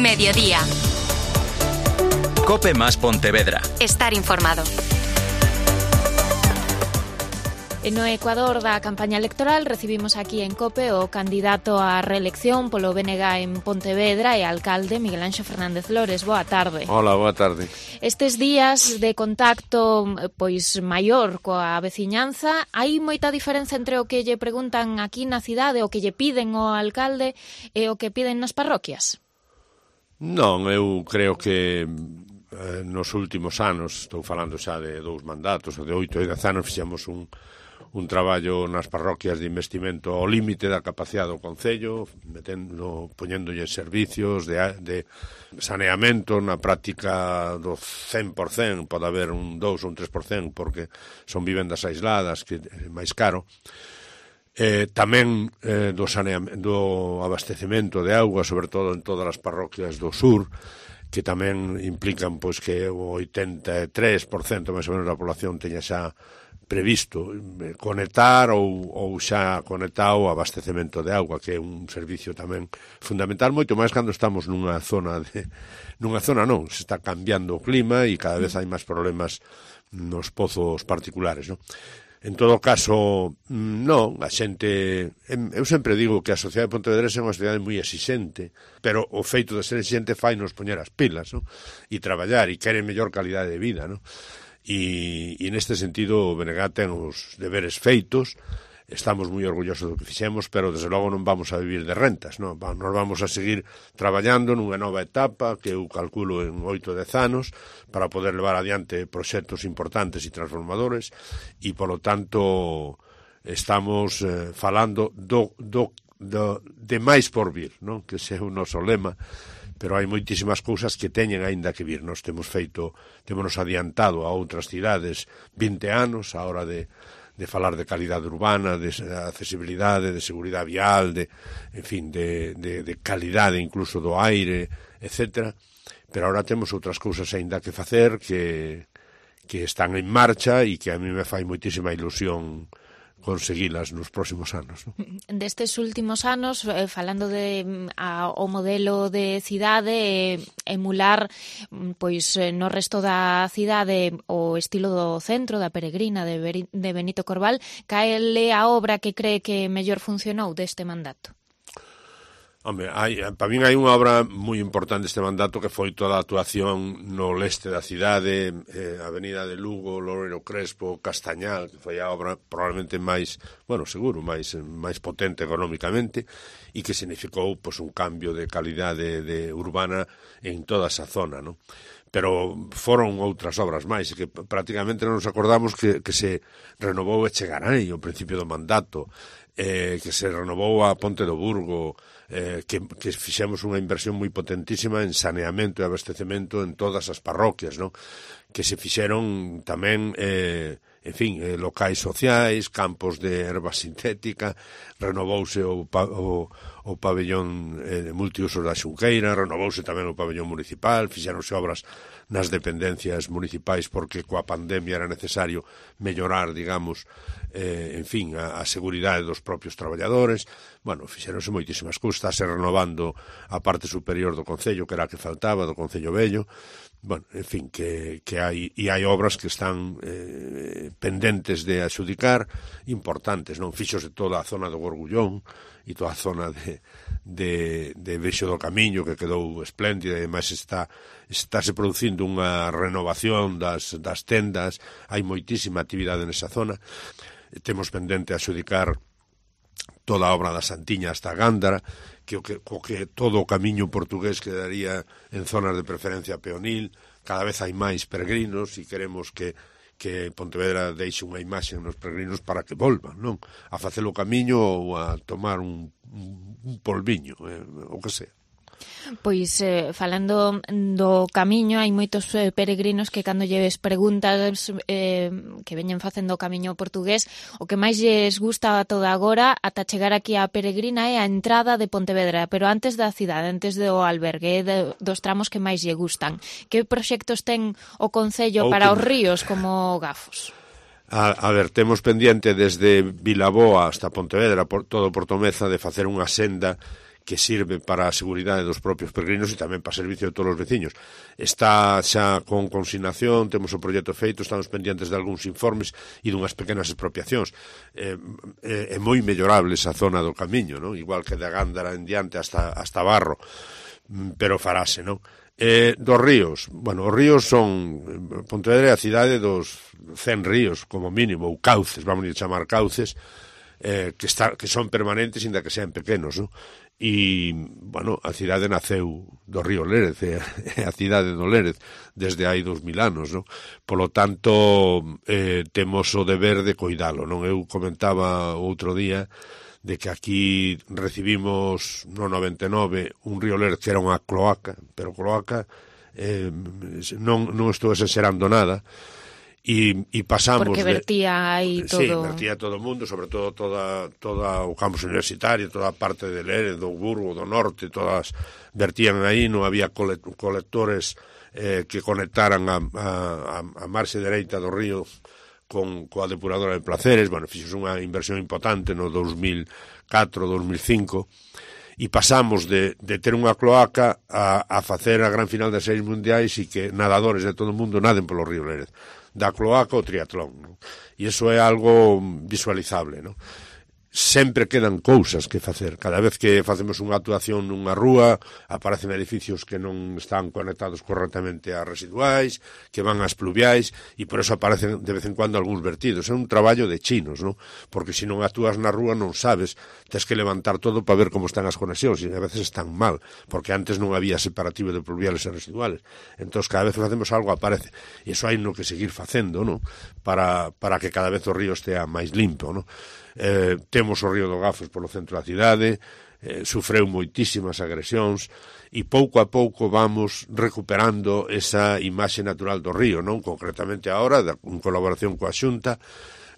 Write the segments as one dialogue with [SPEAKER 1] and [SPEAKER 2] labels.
[SPEAKER 1] Mediodía.
[SPEAKER 2] COPE más Pontevedra.
[SPEAKER 1] Estar informado.
[SPEAKER 3] No Ecuador da campaña electoral recibimos aquí en COPE o candidato á reelección polo BNG en Pontevedra e alcalde Miguel Anxo Fernández Lores. Boa tarde.
[SPEAKER 4] Hola, boa tarde.
[SPEAKER 3] Estes días de contacto pois maior coa veciñanza, hai moita diferenza entre o que lle preguntan aquí na cidade, o que lle piden ao alcalde e o que piden nas parroquias?
[SPEAKER 4] Non, eu creo que nos últimos anos, estou falando xa de 2 mandatos, ou de 8 e 10 anos, fixemos un traballo nas parroquias de investimento ao límite da capacidade do Concello, poñéndolle servicios de saneamento na práctica do 100%, pode haber un 2 ou un 3%, porque son vivendas aisladas, que é máis caro. Tamén do abastecemento de auga, sobre todo en todas as parroquias do sur, que tamén implican pois que o 83% máis ou menos da población teña xa previsto conectar ou xa conectado o abastecemento de auga, que é un servicio tamén fundamental, moito máis cando estamos nunha zona non, se está cambiando o clima e cada vez hai máis problemas nos pozos particulares, non? En todo caso, non, a xente... Eu sempre digo que a sociedade de Pontevedra é unha sociedade moi exixente, pero o feito de ser exixente fai nos poñer as pilas, non? E traballar, e quere mellor calidade de vida, non? E neste sentido o BNG ten os deberes feitos, estamos moi orgullosos do que fixemos, pero desde logo non vamos a vivir de rentas, non? Nos vamos a seguir traballando nunha nova etapa que eu calculo en 8 10 anos para poder levar adiante proxectos importantes e transformadores e, polo tanto, estamos falando de máis por vir, non? Que ese é o noso lema, pero hai moitísimas cousas que teñen aínda que vir. Nos temos adiantado a outras cidades 20 anos a hora de falar de calidade urbana, de accesibilidade, de seguridade vial, de calidade incluso do aire, etcétera. Pero agora temos outras cousas aínda que facer que están en marcha e que a mí me fai moitísima ilusión conseguilas nos próximos anos, non?
[SPEAKER 3] Destes últimos anos, falando o modelo de cidade, emular pois no resto da cidade o estilo do centro, da Peregrina, de Benito Corval, cal é a obra que cree que mellor funcionou deste mandato?
[SPEAKER 4] Home, para min hai unha obra moi importante este mandato que foi toda a actuación no leste da cidade, Avenida de Lugo, Loureiro Crespo, Castañal, que foi a obra probablemente máis potente económicamente e que significou pois, un cambio de calidade urbana en toda esa zona, non? Pero foron outras obras máis, que prácticamente non nos acordamos que se renovou Echegaray ao principio do mandato, que se renovou a Ponte do Burgo, que fixemos unha inversión moi potentísima en saneamento e abastecemento en todas as parroquias, non? Que se fixeron tamén locais sociais, campos de erva sintética, renovouse o pabellón multiusos da Xunqueira, renovouse tamén o pabellón municipal, fixeronse obras nas dependencias municipais porque coa pandemia era necesario mellorar, digamos, a seguridade dos propios traballadores. Bueno, fixeronse moitísimas cousas, estáse renovando a parte superior do Concello, que era a que faltaba, do Concello Vello. Bueno, en fin, que hai obras que están pendentes de adxudicar, importantes, non? Fíxose toda a zona do Gorgullón e toda a zona de Vexo do Camiño, que quedou espléndida, e ademais estáse producindo unha renovación das tendas, hai moitísima actividade nesa zona. Temos pendente adxudicar toda a obra da Santiña hasta Gándara, que todo o camiño portugués quedaría en zonas de preferencia peonil. Cada vez hai máis peregrinos e queremos que Pontevedra deixe unha imaxe nos peregrinos para que volvan, non? A facer o camiño ou a tomar un polviño, o que sea.
[SPEAKER 3] Pois, falando do camiño, hai moitos peregrinos que cando lles preguntas que veñen facendo o camiño portugués, o que máis lles gusta toda agora ata chegar aquí á Peregrina é a entrada de Pontevedra, pero antes da cidade, antes do albergue, dos tramos que máis lle gustan. Que proxectos ten o Concello para os ríos como Gafos?
[SPEAKER 4] A ver, temos pendiente desde Vilaboa hasta Pontevedra, todo Portomeza, de facer unha senda que sirve para a seguridade dos propios peregrinos e tamén para servicio de todos os veciños. Está xa con consignación, temos o proxecto feito, estamos pendientes de algúns informes e dunhas pequenas expropiacións. É moi mellorable esa zona do camiño, non? Igual que de Gándara en diante hasta Barro, pero farase, non? Dos ríos, bueno, os ríos son, Pontevedra é a cidade dos 100 ríos, como mínimo, ou cauces, vamos a chamar cauces, que son permanentes, ainda que sean pequenos, non? E, bueno, a cidade naceu do río Lérez, é a cidade do Lérez, desde hai 2000 anos, non? Polo tanto, temos o deber de cuidalo, non? Eu comentaba outro día de que aquí recibimos no 99 un río Lérez que era unha cloaca, pero cloaca non estou exagerando nada, e pasamos
[SPEAKER 3] porque vertía aí todo.
[SPEAKER 4] Sí, vertía todo o mundo, sobre todo toda o campus universitario, toda a parte de Lérez, do Burgo, do Norte, todas vertían aí, non había colectores que conectaran a marxe dereita do río coa depuradora de Placeres. Bueno, fixos unha inversión importante no 2004-2005, e pasamos de ter unha cloaca a facer a gran final das series mundiais e que nadadores de todo o mundo naden polo río Lérez, da cloaca ao triatlón, non? E iso é algo visualizable, non? Sempre quedan cousas que facer. Cada vez que facemos unha actuación nunha rúa, aparecen edificios que non están conectados correctamente ás residuais, que van ás pluviais, e por eso aparecen de vez en cuando algúns vertidos. É un traballo de chinos, non? Porque se non actúas na rúa non sabes, tens que levantar todo para ver como están as conexións, e a veces están mal, porque antes non había separativo de pluviales e residuales. Entón, cada vez que facemos algo aparece. E iso hai no que seguir facendo, non? Para que cada vez o río estea máis limpo, non? Temos o río do Gafos polo centro da cidade, sufreu moitísimas agresións, e pouco a pouco vamos recuperando esa imaxe natural do río, non? Concretamente agora, en colaboración coa Xunta,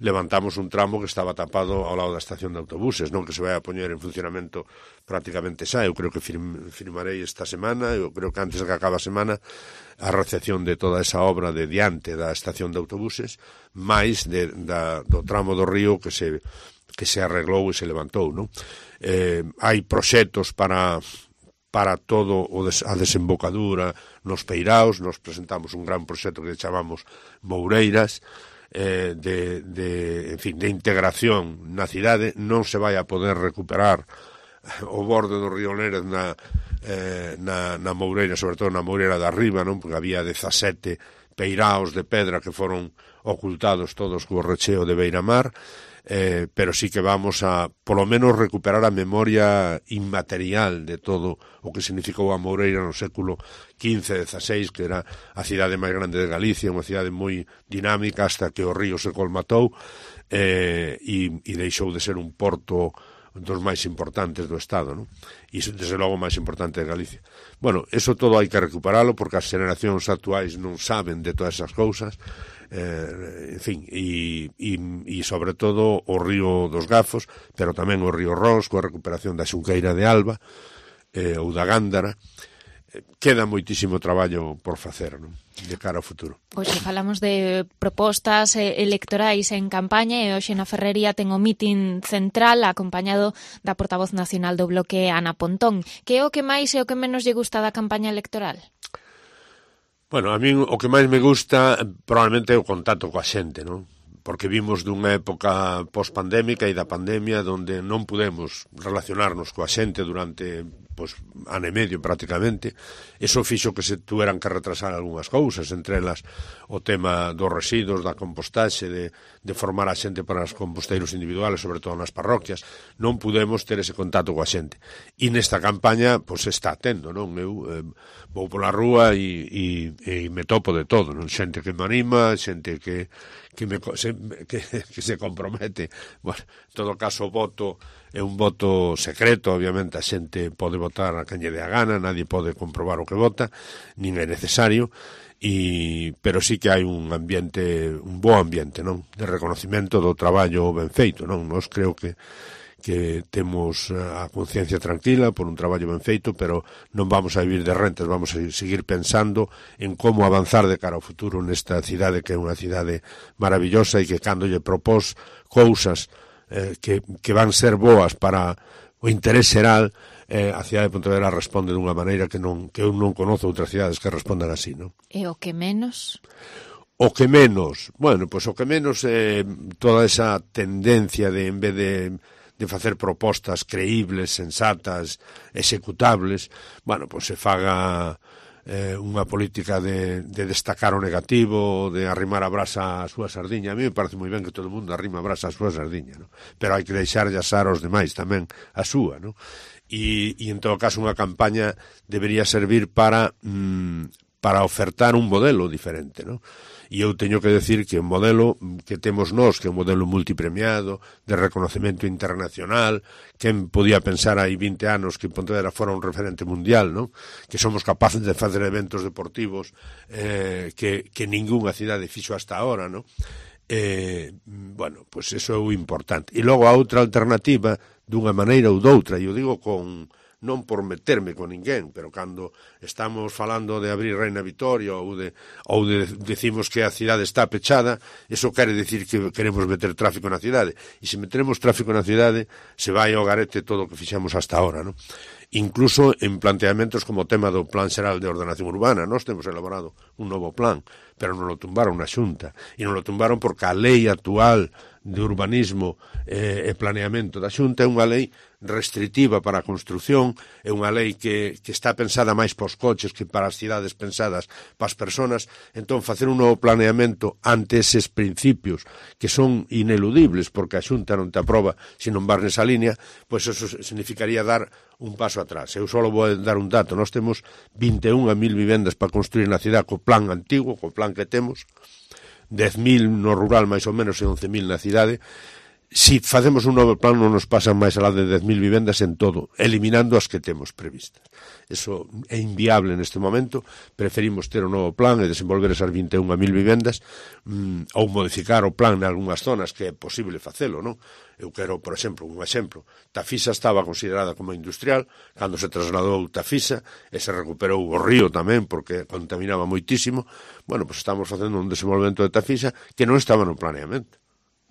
[SPEAKER 4] levantamos un tramo que estaba tapado ao lado da estación de autobuses, non? Que se vai a poñer en funcionamento prácticamente xa. Eu creo que firmarei esta semana, eu creo que antes de que acabe a semana, a recepción de toda esa obra de diante da estación de autobuses, máis do tramo do río que se arreglou e se levantou, non? Hai proxectos para todo a desembocadura nos peiraos. Nos presentamos un gran proxecto que chamamos Moureiras, de integración na cidade. Non se vai a poder recuperar o borde do río Lérez na Moureira, sobre todo na Moureira de arriba, non? Porque había 17 peiraos de pedra que foron ocultados todos co recheo de Beiramar, pero sí que vamos a, polo menos, recuperar a memoria inmaterial de todo o que significou a Moureira no século XV-XVI, que era a cidade máis grande de Galicia, unha cidade moi dinámica hasta que o río se colmatou e deixou de ser un porto dos máis importantes do Estado, non? E, desde logo, máis importante de Galicia. Bueno, eso todo hai que recuperalo, porque as generacións actuais non saben de todas esas cousas, en fin, e sobre todo o río dos Gafos, pero tamén o río Ros, coa recuperación da Xunqueira de Alba, ou da Gándara. Queda moitísimo traballo por facer, non? De cara ao futuro.
[SPEAKER 3] Hoxe falamos de propostas electorais en campaña, e hoxe na Ferrería ten o mitin central acompañado da portavoz nacional do Bloque, Ana Pontón. Que é o que máis e o que menos lle gusta da campaña electoral?
[SPEAKER 4] Bueno, a min o que máis me gusta probablemente é o contacto coa xente, non? Porque vimos dunha época post-pandémica e da pandemia onde non pudemos relacionarnos coa xente durante ano e medio prácticamente. Eso fixo que se tuveran que retrasar algunhas cousas, entre elas o tema dos residuos, da compostaxe, de formar a xente para os composteiros individuales, sobre todo nas parroquias. Non pudemos ter ese contacto coa xente. E nesta campaña, está tendo, non? Eu vou pola rúa e me topo de todo, non? Xente que me anima, xente que se compromete. Bueno, en todo caso, o voto é un voto secreto, obviamente a xente pode votar a quen lle dé a gana, nadie pode comprobar o que vota, nin é necesario, pero sí que hai un bo ambiente, non? De reconocimento do traballo ben feito, non? Nós creo que temos a conciencia tranquila por un traballo ben feito, pero non vamos a vivir de rentas, vamos a seguir pensando en como avanzar de cara ao futuro nesta cidade, que é unha cidade maravillosa e que cando lle propós cousas que van ser boas para o interés xeral, a cidade de Pontevedra responde dunha maneira que eu non conozo outras cidades que respondan así, non?
[SPEAKER 3] E o que menos?
[SPEAKER 4] O que menos, bueno, pois o que menos é toda esa tendencia de, en vez de facer propostas creíbles, sensatas, executables, bueno, pois se faga unha política de destacar o negativo, de arrimar a brasa á súa sardiña. A mí me parece moi ben que todo o mundo arrima a brasa á súa sardiña, ¿no? Pero hai que deixarlle asar aos demais tamén a súa, ¿no? E en todo caso unha campaña debería servir para ofertar un modelo diferente, ¿no? E eu teño que decir que o modelo que temos nós, que é un modelo multipremiado, de reconocemento internacional, quen podía pensar hai 20 anos que Pontevedra fora un referente mundial, ¿no? Que somos capaces de facer eventos deportivos que ningunha cidade fixo hasta ahora, ¿no? Bueno, pois eso é o importante. E logo a outra alternativa, dunha maneira ou doutra, e eu digo non por meterme con ninguén, pero cando estamos falando de abrir Reina Vitoria ou decimos que a cidade está pechada, eso quere decir que queremos meter tráfico na cidade. E se meteremos tráfico na cidade, se vai ao garete todo o que fixemos hasta ahora, non? Incluso en planteamentos como o tema do Plan Xeral de Ordenación Urbana. Nós temos elaborado un novo plan, pero non lo tumbaron na Xunta. E non lo tumbaron porque a lei actual de urbanismo e planeamento da Xunta é unha lei restritiva para a construción, é unha lei que está pensada máis para os coches que para as cidades pensadas para as persoas. Entón, facer un novo planeamento ante eses principios que son ineludibles porque a Xunta non te aproba se non vas nesa línea, pois eso significaría dar un paso atrás. Eu só vou dar un dato. Nós temos 21.000 vivendas para construir na cidade co plan antigo, co plan que temos, 10.000 no rural máis ou menos e 11.000 na cidade. Si facemos un novo plan non nos pasan máis alá de 10.000 vivendas en todo, eliminando as que temos previstas. Eso é inviable neste momento. Preferimos ter un novo plan e desenvolver esas 21.000 vivendas ou modificar o plan en algunhas zonas que é posible facelo, non? Eu quero, por exemplo, un exemplo. Tafisa estaba considerada como industrial, cando se trasladou Tafisa e se recuperou o río tamén porque contaminaba moitísimo. Bueno, pois estamos facendo un desenvolvemento de Tafisa que non estaba no planeamento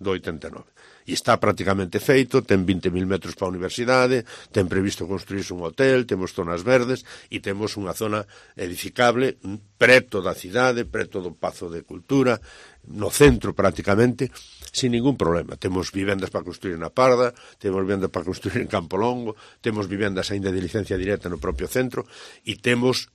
[SPEAKER 4] do 89. E está prácticamente feito, ten 20.000 metros para a universidade, ten previsto construirse un hotel, temos zonas verdes e temos unha zona edificable preto da cidade, preto do Pazo de Cultura, no centro prácticamente, sin ningún problema. Temos vivendas para construir na Parda, temos vivendas para construir en Campo Longo, temos vivendas aínda de licencia directa no propio centro e temos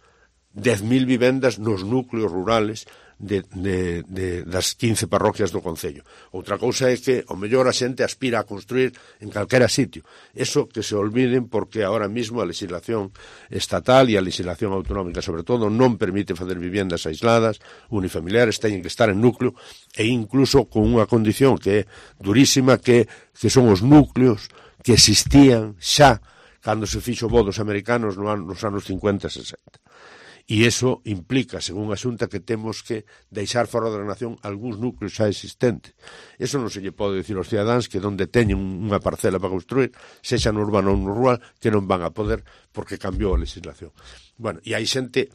[SPEAKER 4] 10.000 vivendas nos núcleos rurales das 15 parroquias do Concello. Outra cousa é que o mellor a xente aspira a construir en calquera sitio. Eso que se olviden porque ahora mismo a legislación estatal e a legislación autonómica sobre todo non permite facer vivendas aisladas, unifamiliares, teñen que estar en núcleo e incluso con unha condición que é durísima que son os núcleos que existían xa cando se fixo o dos americanos nos anos 50 e 60. E iso implica, según a Xunta, que temos que deixar fora da nación algúns núcleos xa existentes. Eso non se lle pode dicir aos cidadáns que onde teñen unha parcela para construir, sexa no urbano ou no rural, que non van a poder porque cambiou a legislación. Bueno, e hai xente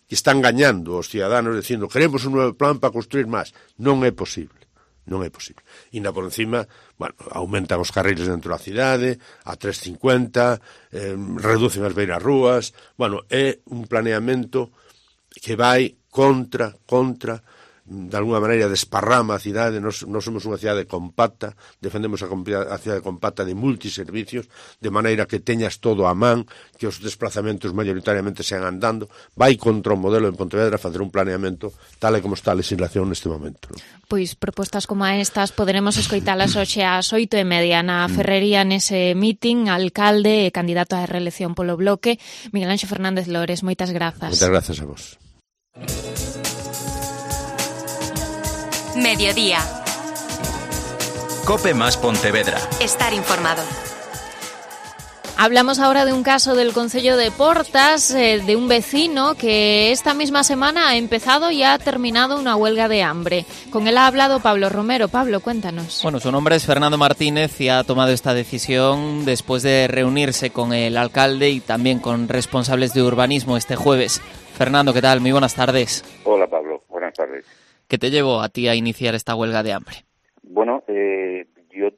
[SPEAKER 4] que están engañando aos cidadános dicindo queremos un novo plan para construir máis. Non é posible. Non é posible. E ainda por encima, bueno, aumentan os carriles dentro da cidade a 3,50, reducen as beiras rúas. Bueno, é un planeamento que vai contra de alguna maneira desparrama a cidade. Nos somos unha cidade compacta, defendemos a cidade compacta de multiservicios, de maneira que teñas todo a man, que os desplazamentos maioritariamente sean andando. Vai contra o modelo en Pontevedra facer un planeamento tal e como está a legislación neste momento, non?
[SPEAKER 3] Pois propostas como estas poderemos escoitalas hoxe ás 8:30 na Ferrería nese meeting. Alcalde e candidato á reelección polo Bloque, Miguel Anxo Fernández Lores. Moitas grazas.
[SPEAKER 4] Moitas grazas a vos.
[SPEAKER 1] Mediodía.
[SPEAKER 2] Cope más Pontevedra.
[SPEAKER 1] Estar informado.
[SPEAKER 3] Hablamos ahora de un caso del Concello de Portas, de un vecino que esta misma semana ha empezado y ha terminado una huelga de hambre. Con él ha hablado Pablo Romero. Pablo, cuéntanos.
[SPEAKER 5] Bueno, su nombre es Fernando Martínez y ha tomado esta decisión después de reunirse con el alcalde y también con responsables de urbanismo este jueves. Fernando, ¿qué tal? Muy buenas tardes.
[SPEAKER 6] Hola, Pablo. Buenas tardes.
[SPEAKER 5] ¿Qué te llevó a ti a iniciar esta huelga de hambre?
[SPEAKER 6] Bueno, yo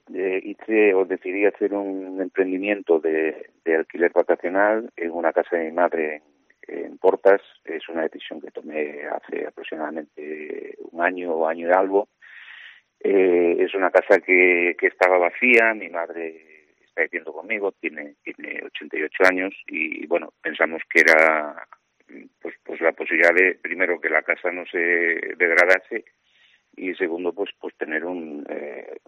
[SPEAKER 1] decidí hacer un emprendimiento de alquiler vacacional en una casa de mi madre en Portas. Es una decisión que tomé hace aproximadamente un año y algo. Es una casa que estaba vacía, mi madre está viviendo conmigo, tiene 88 años y bueno, pensamos que era pues la posibilidad de, primero, que la casa no se degradase y segundo, pues tener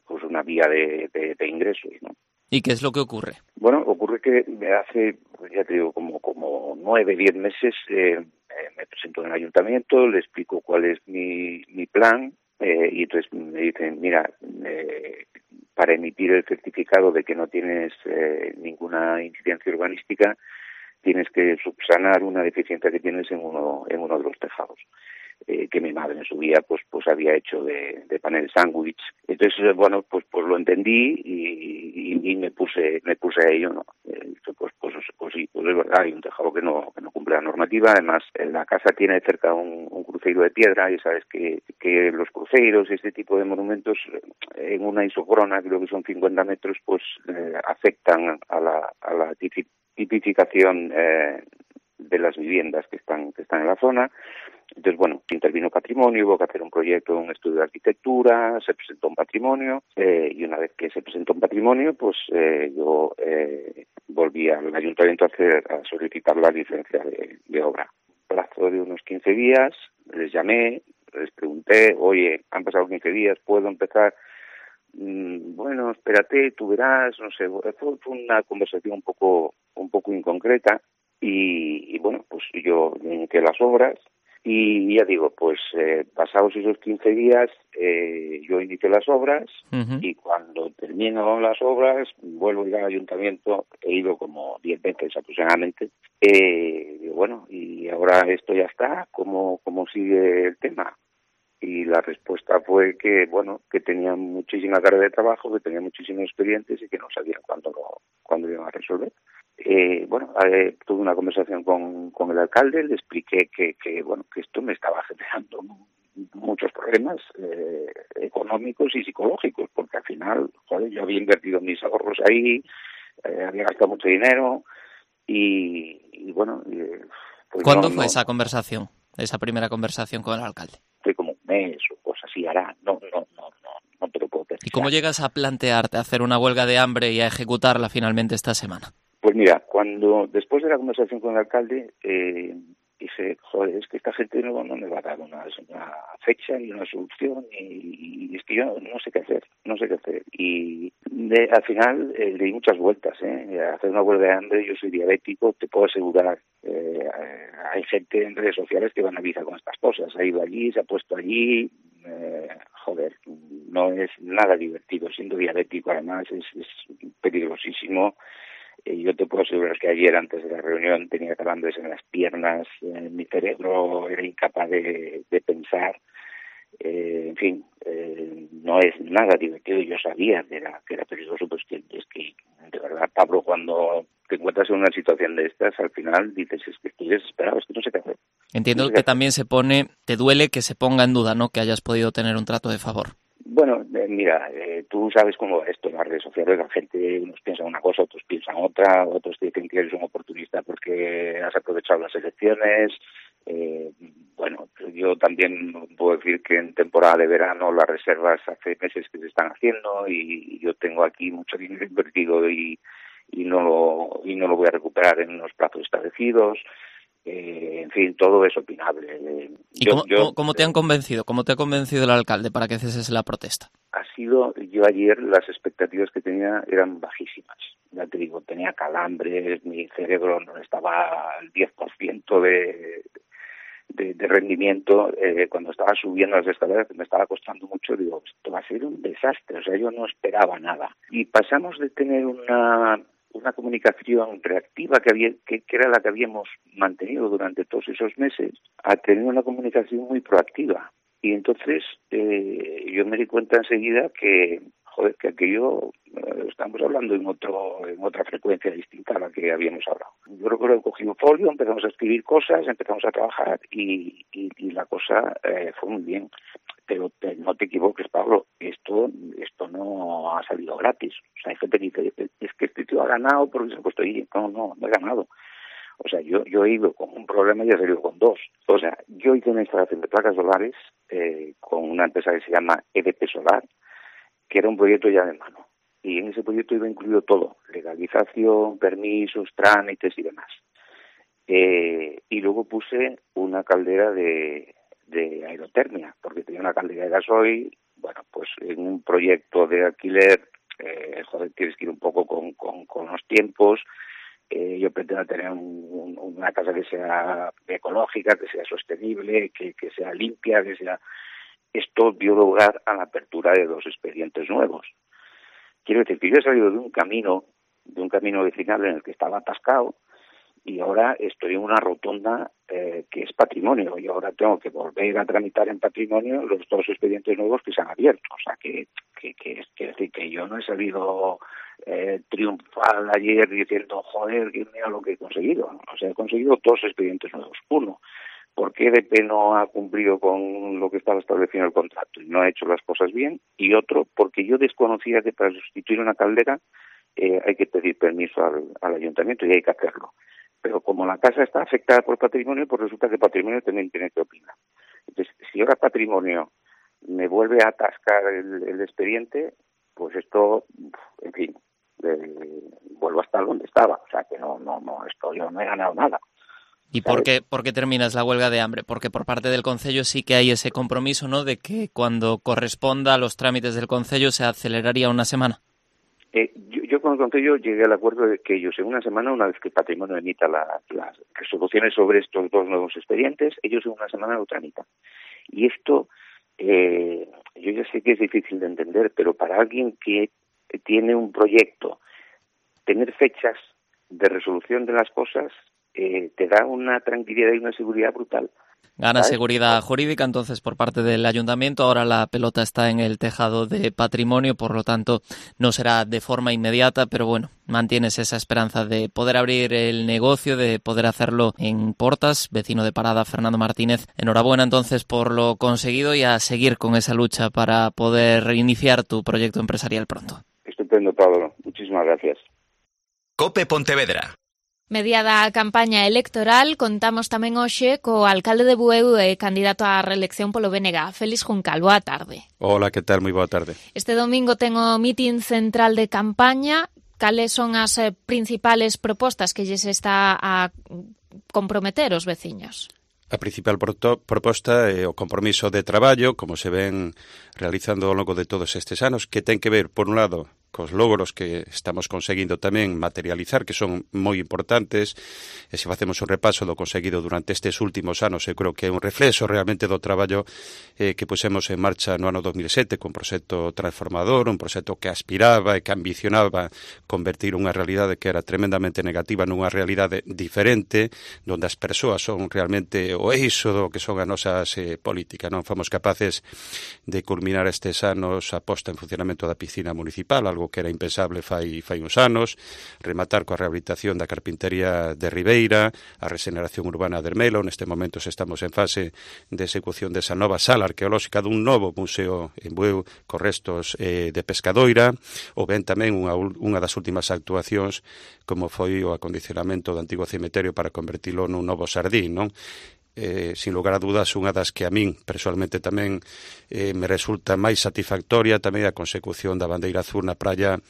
[SPEAKER 1] pues una vía de ingresos, ¿no?
[SPEAKER 5] ¿Y qué es lo que ocurre?
[SPEAKER 1] Bueno, ocurre que hace, ya te digo, como 9, 10 meses me presento en el ayuntamiento, le explico cuál es mi plan y entonces me dicen, mira, para emitir el certificado de que no tienes ninguna incidencia urbanística, tienes que subsanar una deficiencia que tienes en uno de los tejados. Que mi madre en su día pues había hecho de panel sándwich. Entonces, bueno, pues lo entendí y me puse a ello, ¿no? Pues sí, pues es verdad, hay un tejado que no cumple la normativa. Además, la casa tiene cerca un cruceiro de piedra y sabes que los cruceiros y este tipo de monumentos en una isocrona, creo que son 50 metros, pues afectan a la tipificación de las viviendas que están en la zona. Entonces, bueno, intervino patrimonio, hubo que hacer un proyecto, un estudio de arquitectura, se presentó un patrimonio y una vez que se presentó un patrimonio, pues yo volví al ayuntamiento a solicitar la licencia de obra. Plazo de unos 15 días, les llamé, les pregunté, oye, han pasado 15 días, ¿puedo empezar? Bueno, espérate, tú verás, no sé, fue una conversación un poco inconcreta y bueno, pues yo inicié las obras. Y ya digo, pues pasados esos 15 días yo inicié las obras y cuando termino las obras vuelvo a ir al ayuntamiento, he ido como 10 veces aproximadamente. Y bueno, y ahora esto ya está, ¿cómo sigue el tema? Y la respuesta fue que, bueno, que tenían muchísima carga de trabajo, que tenían muchísimos expedientes y que no sabían cuándo iban a resolver. Tuve una conversación con el alcalde, le expliqué que esto me estaba generando muchos problemas económicos y psicológicos, porque al final, joder, yo había invertido mis ahorros ahí, había gastado mucho dinero y bueno... pues
[SPEAKER 5] ¿Cuándo fue esa conversación, esa primera conversación con el alcalde?
[SPEAKER 1] Fue como un mes o cosas así, hará, no te lo puedo pensar.
[SPEAKER 5] ¿Y cómo llegas a plantearte hacer una huelga de hambre y a ejecutarla finalmente esta semana?
[SPEAKER 1] Pues mira, después de la conversación con el alcalde, dije, joder, es que esta gente no me va a dar una fecha ni una solución y es que yo no sé qué hacer. Y al final le di muchas vueltas, hacer una huelga de hambre, yo soy diabético, te puedo asegurar, hay gente en redes sociales que van a avisar con estas cosas, ha ido allí, se ha puesto allí, no es nada divertido, siendo diabético además es peligrosísimo. Yo te puedo asegurar que ayer, antes de la reunión, tenía calambres en las piernas, mi cerebro era incapaz de pensar. En fin, no es nada divertido. Yo sabía que era peligroso, pues es que, de verdad, Pablo, cuando te encuentras en una situación de estas, al final dices, es que estoy desesperado, es que no sé qué hacer.
[SPEAKER 5] Entiendo que también te duele que se ponga en duda, ¿no?, que hayas podido tener un trato de favor.
[SPEAKER 1] Bueno, mira, tú sabes cómo va esto en las redes sociales, la gente, unos piensan una cosa, otros piensan otra, otros te dicen que eres un oportunista porque has aprovechado las elecciones. Yo también puedo decir que en temporada de verano las reservas hace meses que se están haciendo y yo tengo aquí mucho dinero invertido y no lo voy a recuperar en unos plazos establecidos. En fin, todo es opinable.
[SPEAKER 5] ¿Y cómo te han convencido? ¿Cómo te ha convencido el alcalde para que ceses la protesta?
[SPEAKER 1] Yo ayer las expectativas que tenía eran bajísimas. Ya te digo, tenía calambres, mi cerebro no estaba al 10% de rendimiento. Cuando estaba subiendo las escaleras, me estaba costando mucho, digo, esto va a ser un desastre. O sea, yo no esperaba nada. Y pasamos de tener una comunicación reactiva que era la que habíamos mantenido durante todos esos meses, a tener una comunicación muy proactiva. Y entonces yo me di cuenta enseguida que aquello estamos hablando en otra frecuencia distinta a la que habíamos hablado. Yo creo bueno, cogí un folio, empezamos a escribir cosas, empezamos a trabajar y la cosa fue muy bien. Pero no te equivoques, Pablo, esto no ha salido gratis. O sea, hay gente que dice, es que este tío ha ganado porque se ha puesto ahí. No he ganado. O sea, yo he ido con un problema y he salido con dos. O sea, yo hice una instalación de placas solares con una empresa que se llama EDP Solar, que era un proyecto ya de mano. Y en ese proyecto iba incluido todo, legalización, permisos, trámites y demás. Y luego puse una caldera de aerotermia, porque tenía una caldera de gasoil. Bueno, pues en un proyecto de alquiler, tienes que ir un poco con los tiempos. Yo pretendo tener una casa que sea ecológica, que sea sostenible, que sea limpia, que sea... Esto dio lugar a la apertura de 2 expedientes nuevos. Quiero decir que yo he salido de un camino vecinal en el que estaba atascado y ahora estoy en una rotonda que es patrimonio, y ahora tengo que volver a tramitar en patrimonio los 2 expedientes nuevos que se han abierto. O sea, que es decir que yo no he salido triunfal ayer diciendo, joder, mira lo que he conseguido. O sea, he conseguido 2 expedientes nuevos. Uno, porque EDP no ha cumplido con lo que estaba establecido en el contrato y no ha hecho las cosas bien, y otro, porque yo desconocía que para sustituir una caldera hay que pedir permiso al ayuntamiento y hay que hacerlo. Pero como la casa está afectada por patrimonio, pues resulta que patrimonio también tiene que opinar. Entonces, si ahora patrimonio me vuelve a atascar el expediente, pues esto, en fin, vuelvo a estar donde estaba. O sea, que yo no he ganado nada.
[SPEAKER 5] ¿Y por qué terminas la huelga de hambre? Porque por parte del Concello sí que hay ese compromiso, ¿no?, de que cuando corresponda a los trámites del Concello se aceleraría una semana.
[SPEAKER 1] Yo con el Concello llegué al acuerdo de que ellos en una semana, una vez que Patrimonio emita las resoluciones sobre estos 2 nuevos expedientes, ellos en una semana lo tramitan. Y esto, yo ya sé que es difícil de entender, pero para alguien que tiene un proyecto, tener fechas de resolución de las cosas te da una tranquilidad y una seguridad brutal.
[SPEAKER 5] Gana seguridad jurídica, entonces, por parte del ayuntamiento. Ahora la pelota está en el tejado de Patrimonio, por lo tanto no será de forma inmediata, pero bueno, mantienes esa esperanza de poder abrir el negocio, de poder hacerlo en Portas. Vecino de Parada, Fernando Martínez, enhorabuena entonces por lo conseguido y a seguir con esa lucha para poder iniciar tu proyecto empresarial pronto.
[SPEAKER 1] Estupendo, Pablo. Muchísimas gracias.
[SPEAKER 2] COPE Pontevedra.
[SPEAKER 3] Mediada a campaña electoral, contamos tamén hoxe co alcalde de Bueu e candidato á reelección polo BNG, Félix Juncal. Boa tarde.
[SPEAKER 6] Hola, que tal? Moi boa tarde.
[SPEAKER 3] Este domingo ten o mitin central de campaña. Cales son as principales propostas que lles está a comprometer os veciños?
[SPEAKER 6] A principal proposta é o compromiso de traballo, como se ven realizando ao longo de todos estes anos, que ten que ver, por un lado, cos logros que estamos conseguindo tamén materializar, que son moi importantes, e se facemos un repaso do conseguido durante estes últimos anos, eu creo que é un reflexo realmente do traballo que pusemos en marcha no ano 2007, con un proxecto transformador, un proxecto que aspiraba e que ambicionaba convertir unha realidade que era tremendamente negativa nunha realidade diferente, onde as persoas son realmente o eixo do que son as nosas políticas. Non fomos capaces de culminar estes anos a posta en funcionamento da piscina municipal, algo que era impensable fai uns anos, rematar coa rehabilitación da carpintería de Ribeira, a regeneración urbana de Ermelo. Neste momento estamos en fase de execución desa nova sala arqueolóxica dun novo museo en Bueu con restos de Pescadoira, ou ben tamén unha das últimas actuacións como foi o acondicionamento do antigo cemiterio para convertilo nun novo xardín, non? Sin lugar a dudas, unha das que a min personalmente tamén me resulta máis satisfactoria tamén a consecución da bandeira azul na praia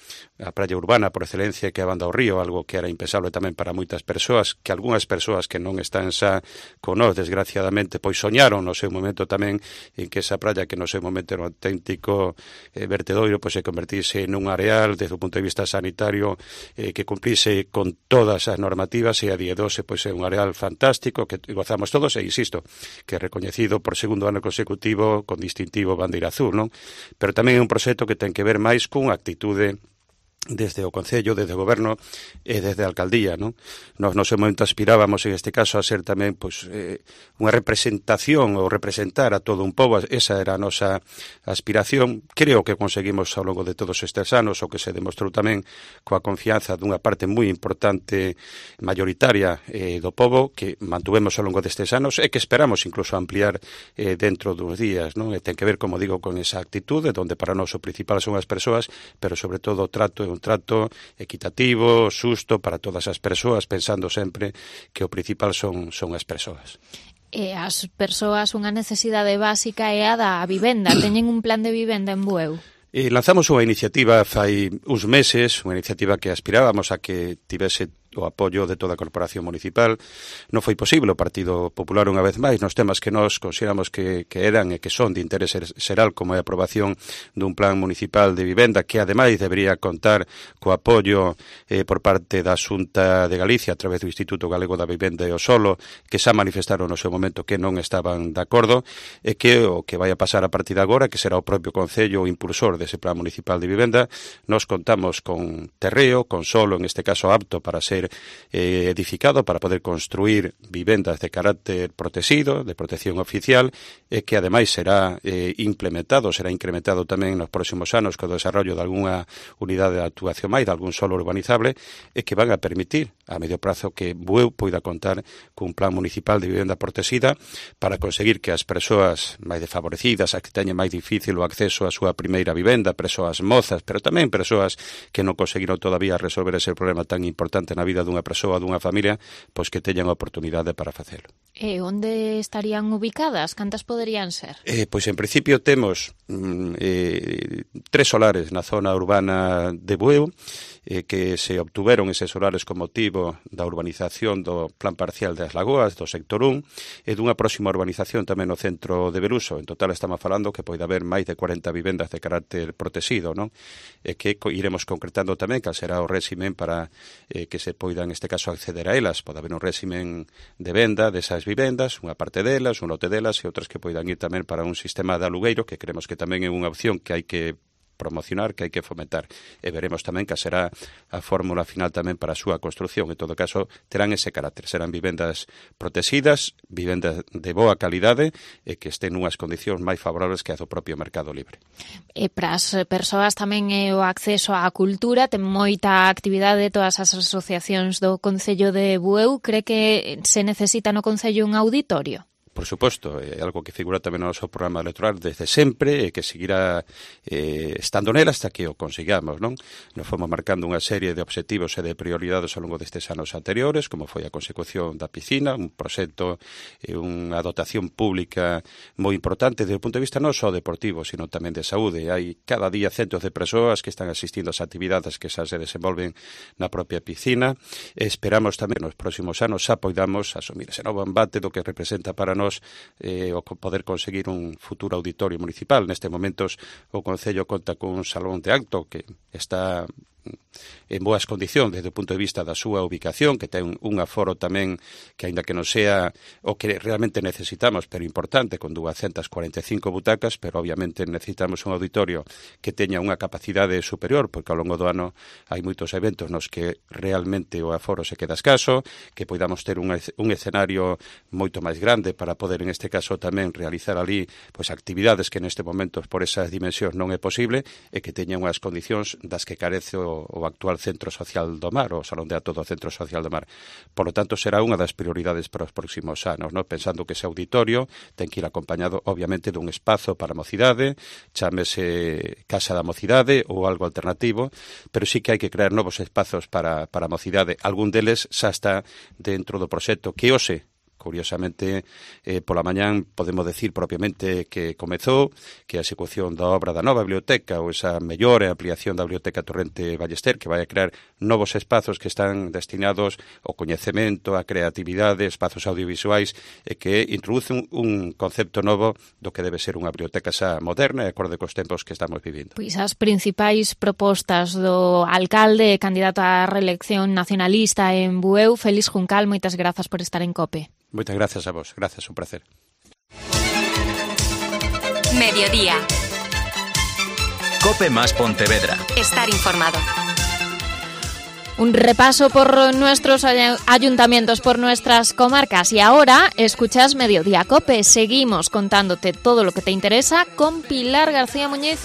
[SPEAKER 6] urbana por excelencia, que é a banda ao río, algo que era impensable tamén para moitas persoas, que algunhas persoas que non están xa con nós, desgraciadamente, pois soñaron no seu momento tamén en que esa praia, que no seu momento era un auténtico vertedoiro, pois se convertise nun areal desde o punto de vista sanitario que cumplise con todas as normativas, e a día de hoxe pois é un areal fantástico que gozamos todos, e insisto, que é recoñecido por segundo ano consecutivo con distintivo bandeira azul, non? Pero tamén é un proxecto que ten que ver máis cunha actitude desde o Concello, desde o Goberno e desde a Alcaldía, non? Nos no seu momento aspirábamos, en este caso, a ser tamén pois, unha representación ou representar a todo un pobo. Esa era a nosa aspiración. Creo que conseguimos ao longo de todos estes anos, o que se demostrou tamén coa confianza dunha parte moi importante mayoritaria do pobo, que mantuvemos ao longo destes anos e que esperamos incluso ampliar dentro dos días, non? E ten que ver, como digo, con esa actitude, donde para nós o principal son as persoas, pero sobre todo o trato un trato equitativo, xusto para todas as persoas, pensando sempre que o principal son as persoas.
[SPEAKER 3] E as persoas unha necesidade básica é a da vivenda. Teñen un plan de vivenda en Bueu?
[SPEAKER 6] Lanzamos unha iniciativa fai uns meses, unha iniciativa que aspirábamos a que tivese o apoio de toda a Corporación Municipal. Non foi posible. O Partido Popular, unha vez máis, nos temas que nós consideramos que eran e que son de interés xeral, como é a aprobación dun plan municipal de vivenda, que ademais debería contar co apoio por parte da Xunta de Galicia a través do Instituto Galego da Vivenda e o Solo, que xa manifestaron no seu momento que non estaban de acordo, e que o que vai a pasar a partir de agora, que será o propio Concello o impulsor dese plan municipal de vivenda. Nos contamos con terreo, con solo, en este caso apto para ser edificado, para poder construir vivendas de carácter protegido, de protección oficial, e que ademais será implementado, será incrementado tamén nos próximos anos co desarrollo de algunha unidade de actuación máis, de algún solo urbanizable, e que van a permitir a medio prazo que Bueu poida contar cun plan municipal de vivenda protegida para conseguir que as persoas máis desfavorecidas, as que teñen máis difícil o acceso á súa primeira vivenda, persoas mozas, pero tamén persoas que non conseguiron todavía resolver ese problema tan importante na vida dunha persoa, dunha familia, pois que teñan a oportunidade para facelo.
[SPEAKER 3] E onde estarían ubicadas? Cantas poderían ser?
[SPEAKER 6] Pois en principio temos 3 solares na zona urbana de Bueu, que se obtuveron eses solares con motivo da urbanización do Plan Parcial das Lagoas, do sector 1, e dunha próxima urbanización tamén no centro de Beruso. En total estamos falando que pode haber máis de 40 vivendas de carácter protegido, non? E que iremos concretando tamén cal será o réximen para que se poida, en este caso, acceder a elas. Pode haber un réximen de venda desas vivendas, unha parte delas, un lote delas, e outras que poidan ir tamén para un sistema de alugueiro, que creemos que tamén é unha opción que hai que promocionar, que hai que fomentar, e veremos tamén que será a fórmula final tamén para a súa construción. En todo caso, terán ese carácter, serán vivendas protegidas, vivendas de boa calidade e que estén nunhas condicións máis favorables que a do propio mercado libre.
[SPEAKER 3] E para as persoas tamén é o acceso á cultura, ten moita actividade de todas as asociacións do Concello de Bueu. Cree que se necesita no Concello un auditorio?
[SPEAKER 6] Por suposto, é algo que figura tamén no noso programa electoral desde sempre e que seguirá estando nela hasta que o consigamos, non? Nos fomos marcando unha serie de obxectivos e de prioridades ao longo destes anos anteriores, como foi a consecución da piscina, un proxecto e unha dotación pública moi importante desde o punto de vista non só deportivo, sino tamén de saúde. Hai cada día centos de persoas que están asistindo ás actividades que xa se desenvolven na propia piscina. Esperamos tamén nos próximos anos xa poidamos asumir ese novo embate do que representa para nós o poder conseguir un futuro auditorio municipal. Neste momentos o Concello conta cun salón de acto que está en boas condicións desde o punto de vista da súa ubicación, que ten un aforo tamén que, aínda que non sea o que realmente necesitamos, pero importante, con 245 butacas, pero obviamente necesitamos un auditorio que teña unha capacidade superior, porque ao longo do ano hai moitos eventos nos que realmente o aforo se queda escaso, que podamos ter un escenario moito máis grande para poder, en este caso, tamén realizar ali pois actividades que neste momento por esas dimensións non é posible, e que teña unhas condicións das que carece o actual Centro Social do Mar, o Salón de Actos do Centro Social do Mar. Por lo tanto, será unha das prioridades para os próximos anos, ¿no? Pensando que ese auditorio ten que ir acompañado, obviamente, dun espazo para a mocidade, chámese Casa da Mocidade ou algo alternativo, pero sí que hai que crear novos espazos para a mocidade. Algún deles xa está dentro do proxecto que hoxe, curiosamente, pola mañán podemos decir propiamente que comezou, que a execución da obra da nova biblioteca ou esa mellor ampliación da biblioteca Torrente Ballester, que vai a crear novos espazos que están destinados ao coñecemento, á creatividade, espazos audiovisuais, e que introduce un concepto novo do que debe ser unha biblioteca xa moderna e acorde cos tempos que estamos vivindo.
[SPEAKER 3] Pois as principais propostas do alcalde, candidato á reelección nacionalista en Bueu, Félix Juncal, moitas grazas por estar en COPE.
[SPEAKER 6] Moitas gracias a vos, gracias, un placer.
[SPEAKER 2] Mediodía. COPE más Pontevedra.
[SPEAKER 7] Estar informado.
[SPEAKER 3] Un repaso por nuestros ayuntamientos, por nuestras comarcas. Y ahora escuchas Mediodía Cope. Seguimos contándote todo lo que te interesa con Pilar García Muñiz.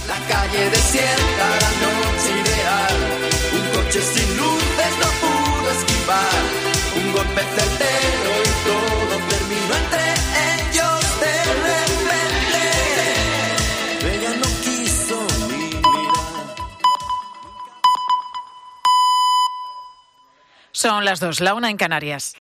[SPEAKER 7] La calle desierta, la noche ideal. Un coche sin luces no pudo esquivar. Un golpe certero y todo terminó entre ellos de repente. Ella no quiso ni mirar.
[SPEAKER 8] Son las 2, la 1 en Canarias.